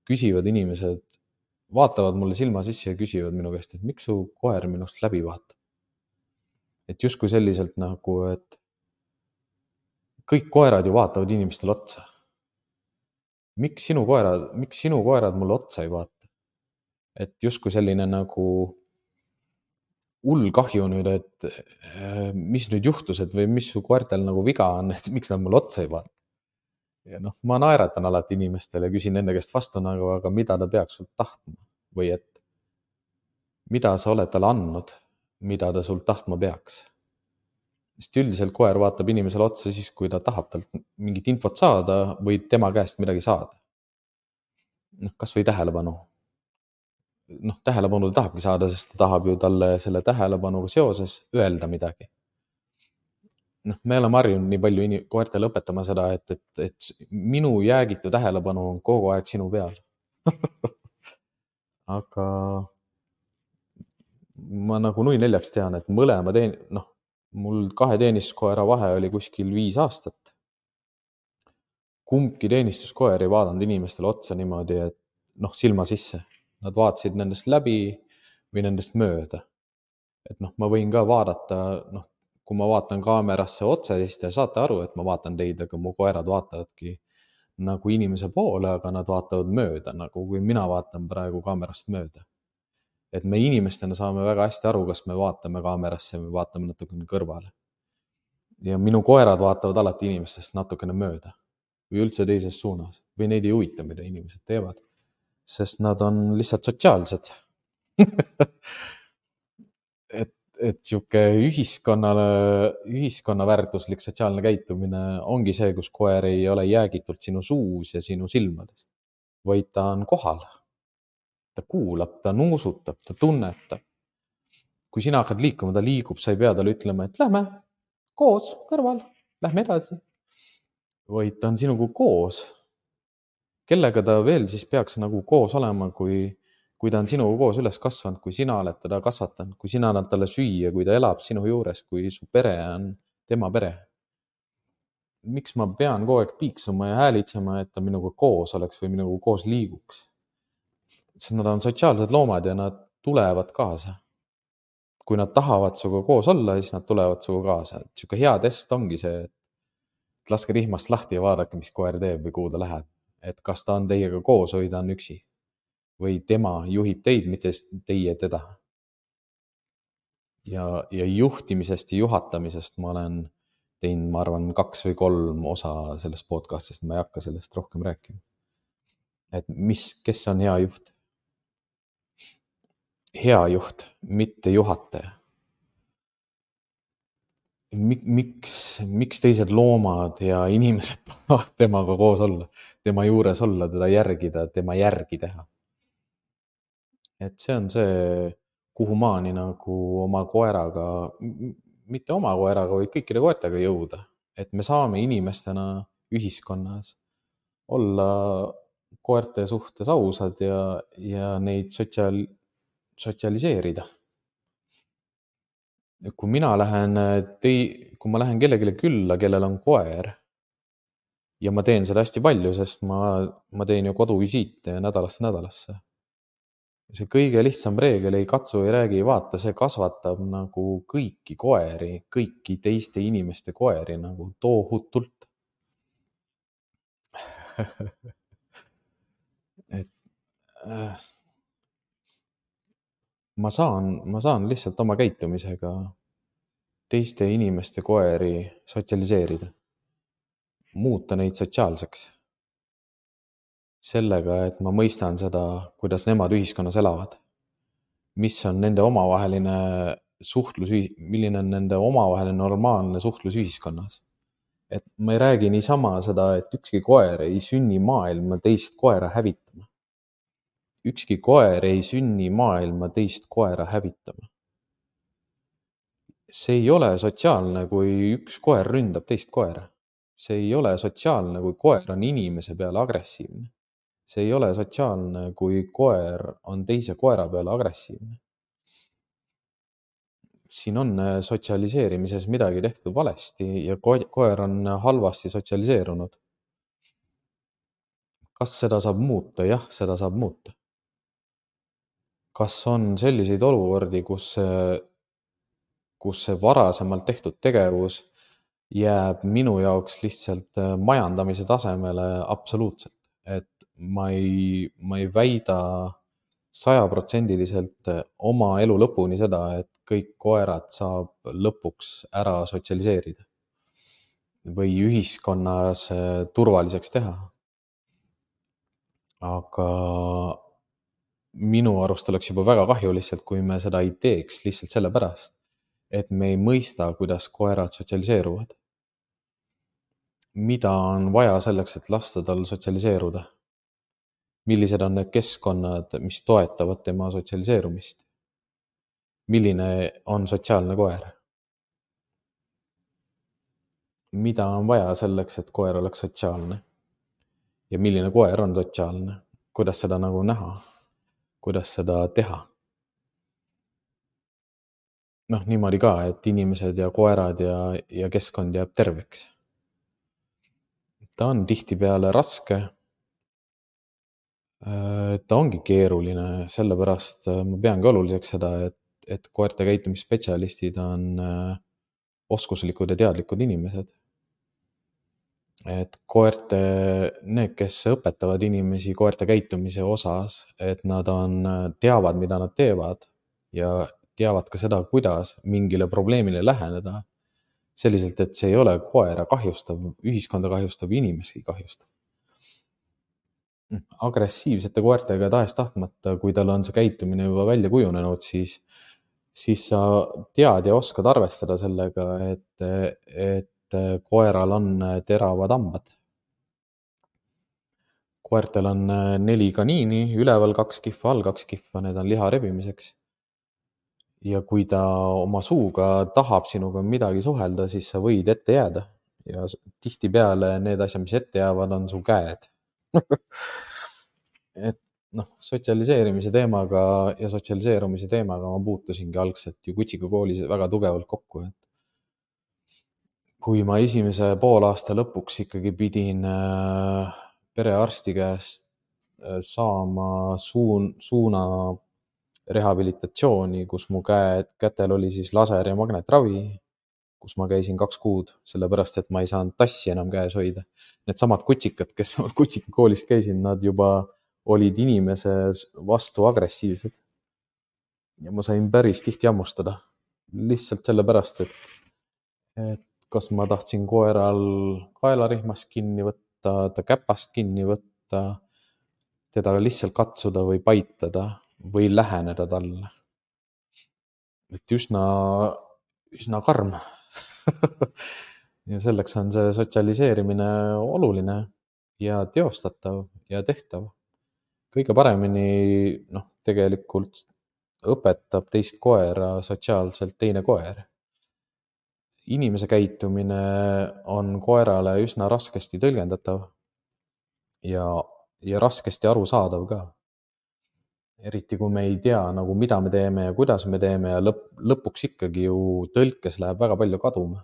küsivad inimesed, vaatavad mulle silma sisse ja küsivad minu käest, et miks su koer minust läbi vaatab. Et justkui selliselt nagu, et kõik koerad ju vaatavad inimestele otsa. Miks sinu koerad mulle otsa ei vaata? Et justkui selline nagu hull kahju nüüd, et mis nüüd juhtus, et või mis su koertel nagu viga on, et miks nad mulle otsa ei vaata. Ja ma naeratan alati inimestele ja küsin nende käest vastu nagu, aga mida ta peaks sult tahtma või et mida sa oled talle andnud, mida ta sult tahtma peaks. Sest üldiselt koer vaatab inimesele otsa siis, kui ta tahab talt mingit infot saada või tema käest midagi saada. Kas või tähelepanu. Tähelepanu ta tahabki saada, sest ta tahab ju talle selle tähelepanuga seoses öelda midagi. Me oleme harjunud nii palju koertele õpetama seda, et minu jäägitu tähelepanu on kogu aeg sinu peal. Aga ma nagu nui neljaks tean, et mõlema mul 2 teenistuskoera vahe oli kuskil 5 aastat. Kumbki teenistuskoer ei vaadanud inimestele otsa niimoodi, et silma sisse. Nad vaatasid nendest läbi või nendest mööda. Et ma võin ka vaadata, kui ma vaatan kaamerasse otse, siis te saate aru, et ma vaatan teid, aga mu koerad vaatavadki nagu inimese poole, aga nad vaatavad mööda, nagu kui mina vaatan praegu kaamerast mööda. Et me inimestena saame väga hästi aru, kas me vaatame kaamerasse või vaatame natukene kõrvale. Ja minu koerad vaatavad alati inimestest natukene mööda või üldse teises suunas või neid ei huvita, mida inimesed teevad, sest nad on lihtsalt sotsiaalsed. et sihuke ühiskonna väärtuslik sotsiaalne käitumine ongi see, kus koer ei ole jäägitult sinu suus ja sinu silmades, vaid ta on kohal. Ta kuulab, ta nuusutab, ta tunnetab. Kui sina hakkad liikuma, ta liigub, sa ei pea talle ütlema, et lähme koos kõrval, lähme edasi. Vaid ta on sinuga koos. Kellega ta veel siis peaks nagu koos olema, kui ta on sinuga koos üles kasvanud, kui sina oled teda kasvatanud, kui sina annad talle süüa, kui ta elab sinu juures, kui su pere on tema pere. Miks ma pean kogu aeg piiksuma ja häälitsema, et ta minuga koos oleks või minuga koos liiguks? Sest nad on sotsiaalsed loomad ja nad tulevad kaasa. Kui nad tahavad suga koos olla, siis nad tulevad suga kaasa. Siuke hea test ongi see, et laske rihmast lahti ja vaadake, mis koer teeb või kuhu ta läheb. Et kas ta on teiega koos või ta on üksi. Või tema juhib teid, mitte teie teda. Ja juhtimisest ja juhatamisest ma olen teinud, ma arvan, 2 või 3 osa sellest podcastist, ma ei hakka sellest rohkem rääkima. Et kes on hea juht? Hea juht, mitte juhataja. Miks teised loomad ja inimesed tahavad temaga koos olla, tema juures olla, teda järgida, tema järgi teha? Et see on see, kuhu maani nagu oma koeraga, mitte oma koeraga, vaid kõikide koertega jõuda. Et me saame inimestena ühiskonnas olla koerte suhtes ausad ja neid sotsialiseerida. Kui ma lähen kellelegi külla, kellel on koer, ja ma teen seda hästi palju, sest ma teen ju koduvisiite nädalast nädalasse. See kõige lihtsam reegel, ei katsu, ei räägi, ei vaata, see kasvatab nagu kõiki koeri, kõiki teiste inimeste koeri nagu tohutult. Ma saan lihtsalt oma käitumisega teiste inimeste koeri sotsialiseerida, muuta neid sotsiaalseks. Sellega, et ma mõistan seda, kuidas nemad ühiskonnas elavad, mis on nende omavaheline suhtlus, milline on nende omavaheline normaalne suhtlus ühiskonnas. Et ma ei räägi niisama seda, et ükski koer ei sünni maailma teist koera hävitama. Ükski koer ei sünni maailma teist koera hävitama. See ei ole sotsiaalne, kui üks koer ründab teist koera. See ei ole sotsiaalne, kui koer on inimese peale agressiivne. See ei ole sotsiaalne, kui koer on teise koera peale agressiivne. Siin on sotsialiseerimises midagi tehtud valesti ja koer on halvasti sotsialiseerunud. Kas seda saab muuta? Jah, seda saab muuta. Kas on selliseid olukordi, kus see varasemalt tehtud tegevus jääb minu jaoks lihtsalt majandamise tasemele? Absoluutselt. Et ma ei väida 100% oma elu lõpuni seda, et kõik koerad saab lõpuks ära sotsialiseerida või ühiskonnas turvaliseks teha. Aga minu arust oleks juba väga kahju lihtsalt, kui me seda ei teeks lihtsalt sellepärast, et me ei mõista, kuidas koerad sotsialiseeruvad. Mida on vaja selleks, et lasta tal sotsialiseeruda? Millised on need keskkonnad, mis toetavad tema sotsialiseerumist? Milline on sotsiaalne koer? Mida on vaja selleks, et koer oleks sotsiaalne? Ja milline koer on sotsiaalne? Kuidas seda nagu näha? Kuidas seda teha? Niimoodi ka, et inimesed ja koerad ja keskkond jääb terveks. Ta on tihtipeale raske. Ta ongi keeruline, sellepärast ma peangi oluliseks seda, et koerte käitumisspetsialistid on oskuslikud ja teadlikud inimesed. et need, kes õpetavad inimesi koerte käitumise osas, et nad teavad, mida nad teevad ja teavad ka seda, kuidas mingile probleemile läheneda selliselt, et see ei ole koera kahjustav, ühiskonda kahjustav, inimesi kahjustav. Agressiivsete koertega tahes-tahtmata, kui tal on see käitumine juba välja kujunenud, siis sa tead ja oskad arvestada sellega, et koeral on teravad hambad. Koertel on 4 kaniini, üleval 2 kihva, all 2 kihva, need on liha rebimiseks. Ja kui ta oma suuga tahab sinuga midagi suhelda, siis sa võid ette jääda. Ja tihtipeale need asjad, mis ette jäävad, on su käed. Et sotsialiseerimise teemaga ja sotsialiseerumise teemaga ma puutusingi algselt ju kutsikakoolis väga tugevalt kokku. Et kui ma esimese poolaasta lõpuks ikkagi pidin perearsti käest saama suuna rehabilitatsiooni, kus mu kätel oli siis laser ja magnetravi, kus ma käisin 2 kuud, sellepärast et ma ei saanud tassi enam käes hoida. Needsamad kutsikad, kes kutsikakoolis käisid, nad juba olid inimese vastu agressiivsed. Ja ma sain päris tihti hammustada. Lihtsalt sellepärast, et kas ma tahtsin koeral kaelarihmast kinni võtta, ta käpast kinni võtta, teda lihtsalt katsuda või paitada või läheneda talle. Et üsna karm. Ja selleks on see sotsialiseerimine oluline ja teostatav ja tehtav. Kõige paremini tegelikult õpetab teist koera sotsiaalselt teine koer. Inimese käitumine on koerale üsna raskesti tõlgendatav ja raskesti arusaadav ka. Eriti kui me ei tea, mida me teeme ja kuidas me teeme ja lõpuks ikkagi ju tõlkes läheb väga palju kaduma.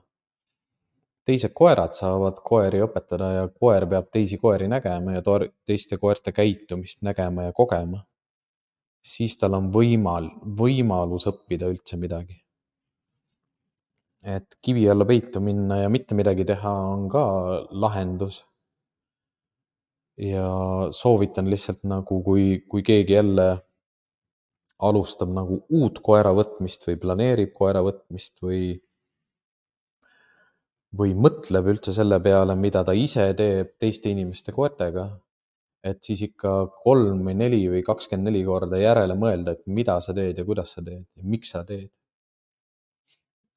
Teised koerad saavad koeri õpetada ja koer peab teisi koeri nägema ja teiste koerte käitumist nägema ja kogema. Siis tal on võimalus õppida üldse midagi. Et kivi alla peitu minna ja mitte midagi teha on ka lahendus. Ja soovitan lihtsalt kui keegi jälle alustab uut koera võtmist või planeerib koera võtmist või mõtleb üldse selle peale, mida ta ise teeb teiste inimeste koertega, et siis ikka 3 või 4 või 24 korda järele mõelda, et mida sa teed ja kuidas sa teed ja miks sa teed.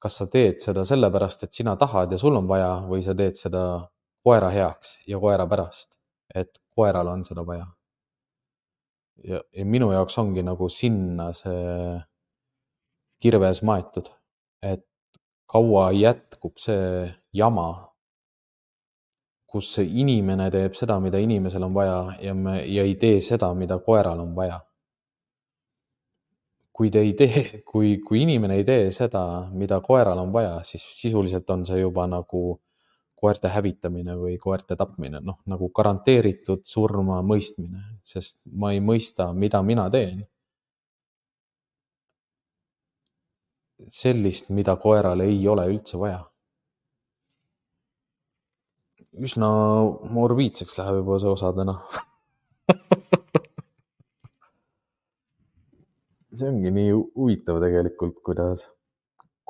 Kas sa teed seda sellepärast, et sina tahad ja sul on vaja või sa teed seda koera heaks ja koera pärast, et koeral on seda vaja. Ja minu jaoks ongi sinna see kirves maetud, et kaua jätkub see jama, kus inimene teeb seda, mida inimesel on vaja ja ei tee seda, mida koeral on vaja. Kui inimene ei tee seda, mida koeral on vaja, siis sisuliselt on see juba koerte hävitamine või koerte tapmine, garanteeritud surma mõistmine, sest ma ei mõista, mida mina teen. Sellist, mida koeral ei ole üldse vaja. Üsna morbiidseks läheb juba see osadena. See ongi nii huvitav tegelikult,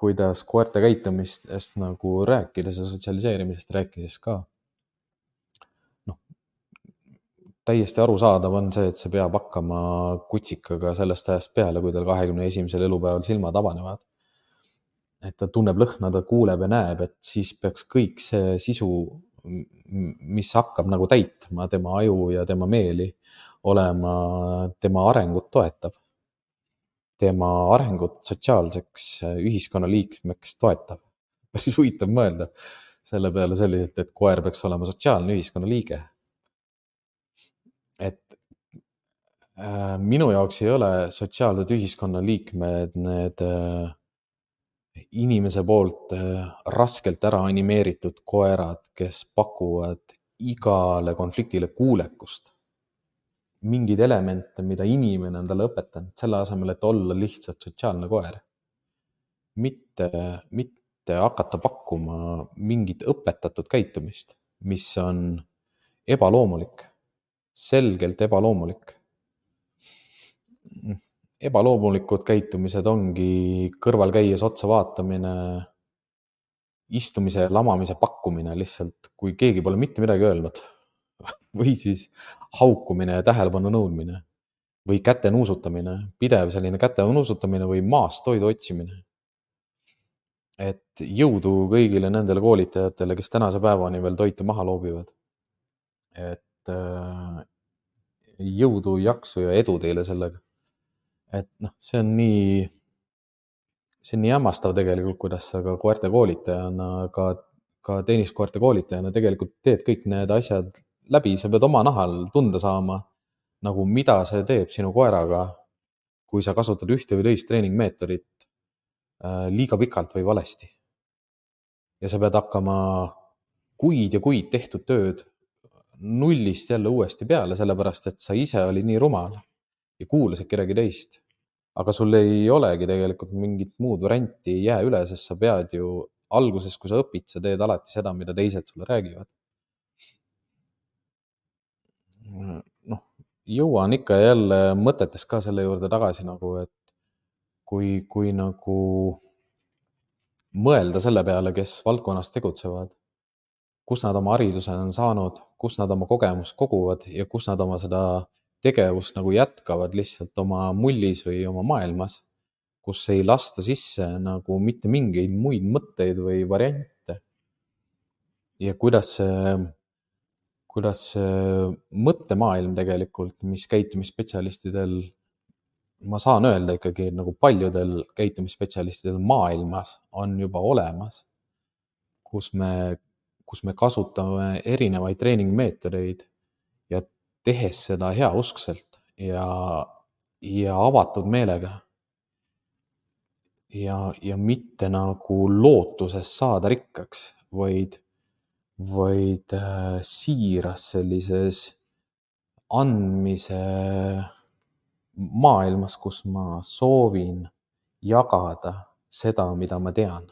kuidas koerte käitumistest rääkides ja sotsialiseerimisest rääkides ka. Täiesti arusaadav on see, et see peab hakkama kutsikaga sellest ajast peale, kui tal 21. elupäeval silmad avanevad. Et ta tunneb lõhna, ta kuuleb ja näeb, et siis peaks kõik see sisu, mis hakkab täitma tema aju ja tema meeli, olema tema arengut toetav. Tema arengut sotsiaalseks ühiskonnaliikmeks toetav. Päris huvitav mõelda selle peale selliselt, et koer peaks olema sotsiaalne ühiskonnaliige. Et minu jaoks ei ole sotsiaalsed ühiskonnaliikmed need inimese poolt raskelt ära animeeritud koerad, kes pakuvad igale konfliktile kuulekust. Mingeid elemente, mida inimene on talle õpetanud, selle asemel, et olla lihtsalt sotsiaalne koer. Mitte hakata pakkuma mingit õpetatud käitumist, mis on ebaloomulik, selgelt ebaloomulik. Ebaloomulikud käitumised ongi kõrval käies otsa vaatamine, istumise ja lamamise pakkumine lihtsalt, kui keegi pole mitte midagi öelnud. Või siis haukumine ja tähelepanu nõudmine. Või käte nuusutamine, pidev selline käte nuusutamine või maast toidu otsimine. Et jõudu kõigile nendele koolitajatele, kes tänase päevani veel toitu maha loobivad. Et jõudu, jaksu ja edu teile sellega. Et see on nii hämmastav tegelikult, kuidas sa ka koerte koolitajana, ka tenniskoerte koolitajana tegelikult teed kõik need asjad läbi, sa pead oma nahal tunda saama, nagu mida see teeb sinu koeraga, kui sa kasutad ühte või teist treeningmeetodit liiga pikalt või valesti. Ja sa pead hakkama kuid ja kuid tehtud tööd nullist jälle uuesti peale, sellepärast et sa ise oli nii rumal ja kuulasid kedagi teist. Aga sul ei olegi tegelikult mingit muud varianti ei jää üle, sest sa pead ju alguses, kui sa õpid, sa teed alati seda, mida teised sulle räägivad. Jõuan ikka ja jälle mõtetes ka selle juurde tagasi nagu, et kui nagu mõelda selle peale, kes valdkonnas tegutsevad, kus nad oma hariduse on saanud, kus nad oma kogemust koguvad ja kus nad oma seda tegevust nagu jätkavad lihtsalt oma mullis või oma maailmas, kus ei lasta sisse nagu mitte mingeid muid mõtteid või variante. Ja kuidas see mõttemaailm tegelikult, mis käitumisspetsialistidel, ma saan öelda ikkagi, et nagu paljudel käitumisspetsialistidel maailmas on juba olemas, kus me kasutame erinevaid treeningmeetodeid ja tehes seda heauskselt ja avatud meelega ja mitte nagu lootuses saada rikkaks, vaid siiras sellises andmise maailmas, kus ma soovin jagada seda, mida ma tean,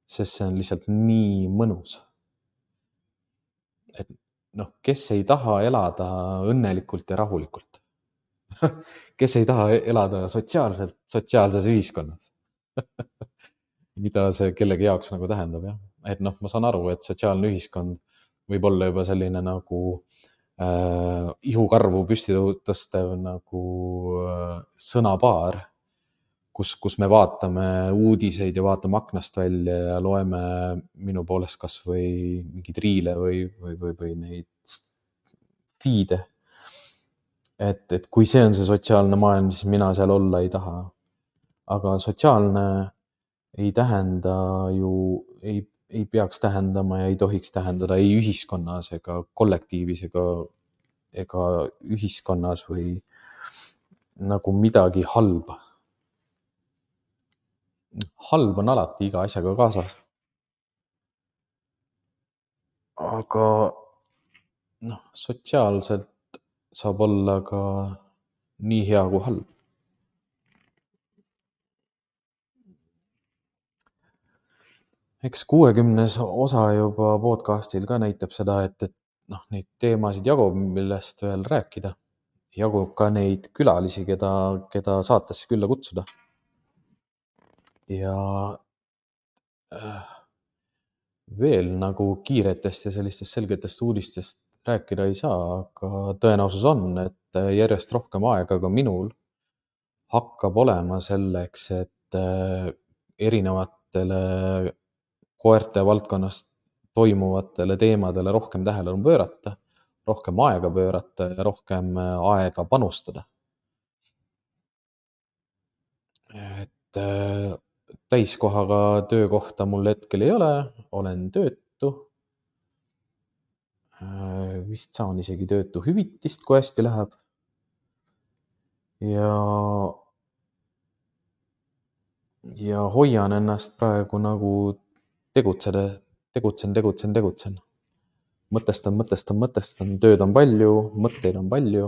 sest see on lihtsalt nii mõnus. Et kes ei taha elada õnnelikult ja rahulikult? Kes ei taha elada sotsiaalses ühiskonnas? Mida see kellegi jaoks nagu tähendab, jah. Et ma saan aru, et sotsiaalne ühiskond võib olla juba selline nagu ihukarvu püsti tõstev nagu sõnapaar, kus me vaatame uudiseid ja vaatame aknast välja ja loeme minu poolest kas või mingeid riile või neid feed'e. Et kui see on see sotsiaalne maailm, siis mina seal olla ei taha. Aga sotsiaalne ei tähenda ju, ei peaks tähendama ja ei tohiks tähendada ei ühiskonnas ega kollektiivis ega ühiskonnas või nagu midagi halba. Halb on alati iga asjaga kaasas. Aga sotsiaalselt saab olla ka nii hea kui halb. Eks 60. osa juba podcastil ka näitab seda, et neid teemasid jagub, millest veel rääkida. Jagub ka neid külalisi, keda saatesse külla kutsuda. Ja veel nagu kiiretest ja sellistest selgetest uudistest rääkida ei saa, aga tõenäosus on, et järjest rohkem aega ka minul hakkab olema selleks, et erinevatele koerte valdkonnas toimuvatele teemadele rohkem tähelepanu pöörata, rohkem aega pöörata ja rohkem aega panustada. Et täiskohaga töökohta mul hetkel ei ole, olen töötu. Vist saan isegi töötuhüvitist, kui hästi läheb. Ja hoian ennast praegu nagu tegutsen. Mõtestan, tööd on palju, mõtteid on palju.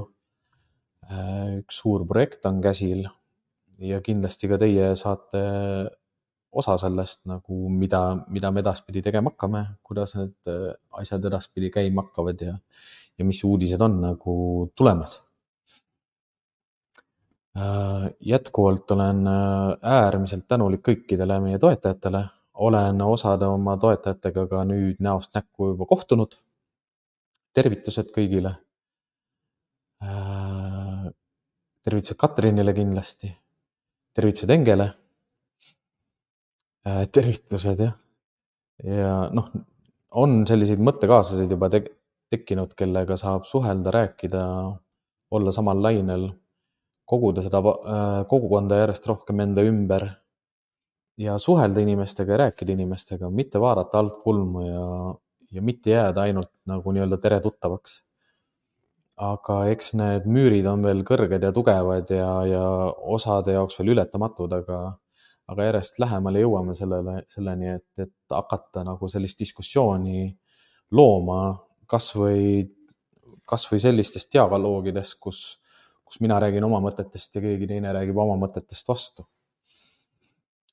Üks suur projekt on käsil ja kindlasti ka teie saate osa sellest nagu, mida me edaspidi tegema hakkame, kuidas need asjad edaspidi käima hakkavad ja mis uudised on nagu tulemas. Jätkuvalt olen äärmiselt tänulik kõikidele meie toetajatele. Olen osade oma toetajatega ka nüüd näost näkku juba kohtunud. Tervitused kõigile. Tervitused Katrinile kindlasti. Tervitused Engele. Tervitused jah. Ja on selliseid mõttekaaslaseid juba tekkinud, kellega saab suhelda, rääkida, olla samal lainel, koguda seda kogukonda järjest rohkem enda ümber ja suhelda inimestega ja rääkida inimestega, mitte vaadata alt kulmu ja mitte jääda ainult nagu nii-öelda tere tuttavaks. Aga eks need müürid on veel kõrged ja tugevad ja osade jaoks veel ületamatud, aga järjest lähemale jõuame selleni, et hakata nagu sellist diskussiooni looma kas või sellistest dialoogidest, kus mina räägin oma mõtetest ja keegi teine räägib oma mõtetest vastu.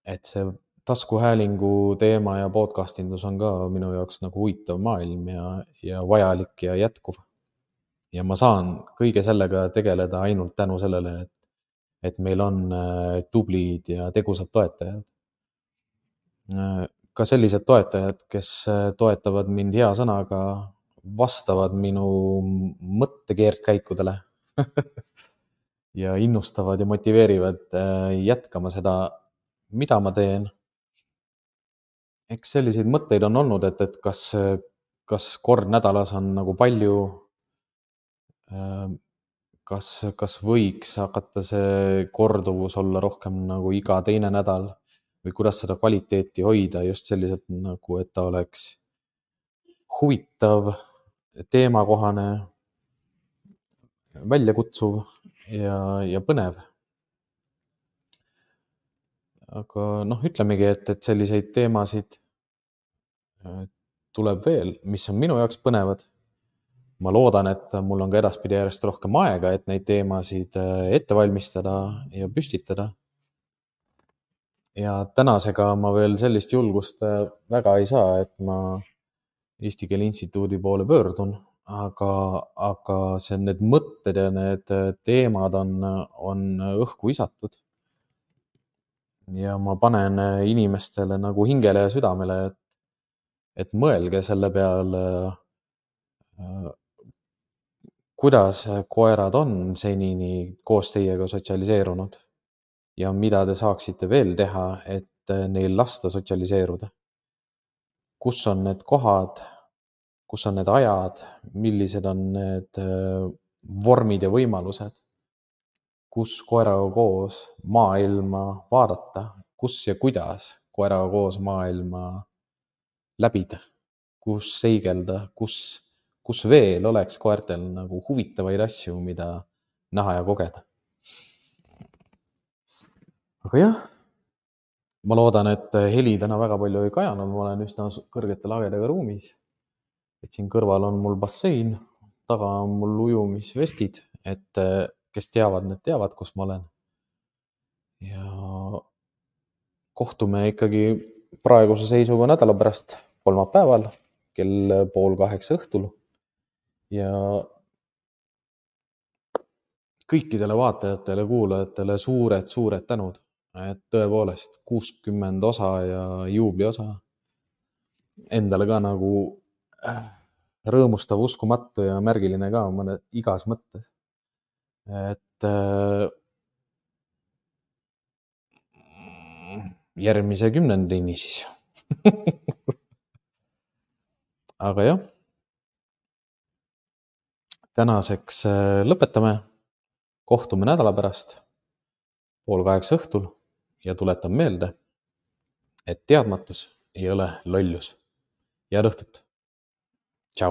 Et see taskuhäälingu teema ja podcastindus on ka minu jaoks nagu huvitav maailm ja vajalik ja jätkuv. Ja ma saan kõige sellega tegeleda ainult tänu sellele, et meil on tublid ja tegusad toetajad. Ka sellised toetajad, kes toetavad mind hea sõnaga, vastavad minu mõttekeerdkäikudele ja innustavad ja motiveerivad jätkama seda, mida ma teen. Eks selliseid mõtteid on olnud, et kas kord nädalas on nagu palju, kas võiks hakata see korduvus olla rohkem nagu iga teine nädal või kuidas seda kvaliteeti hoida just selliselt nagu, et ta oleks huvitav, teemakohane, väljakutsuv ja põnev. Aga ütlemegi, et selliseid teemasid tuleb veel, mis on minu jaoks põnevad. Ma loodan, et mul on ka edaspidi järjest rohkem aega, et neid teemasid ette valmistada ja püstitada. Ja tänasega ma veel sellist julgust väga ei saa, et ma Eesti Keele Instituudi poole pöördun, aga need mõtted ja need teemad on õhku visatud. Ja ma panen inimestele nagu hingele ja südamele, et mõelge selle peale, kuidas koerad on senini koos teiega sotsialiseerunud ja mida te saaksite veel teha, et neil lasta sotsialiseeruda. Kus on need kohad, kus on need ajad, millised on need vormid ja võimalused, kus koeraga koos maailma vaadata, kus ja kuidas koeraga koos maailma läbida, kus seigelda, kus veel oleks koertel nagu huvitavaid asju, mida näha ja kogeda. Aga jah, ma loodan, et heli täna väga palju ei kajanud, ma olen üsna kõrgete lagedega ruumis. Et siin kõrval on mul bassein, taga on mul ujumisvestid, et kes teavad, need teavad, kus ma olen. Ja kohtume ikkagi praeguse seisuga nädala pärast kolmapäeval kell 7:30 õhtul. Ja kõikidele vaatajatele, kuulajatele suured tänud, et tõepoolest 60 osa ja juubliosa endale ka nagu rõõmustav, uskumatu ja märgiline ka mõne igas mõttes. Et järgmise 10-ndini siis. Aga jah, tänaseks lõpetame. Kohtume nädala pärast 7:30 õhtul ja tuletan meelde, et teadmatus ei ole lollus. Head õhtut! Tšau!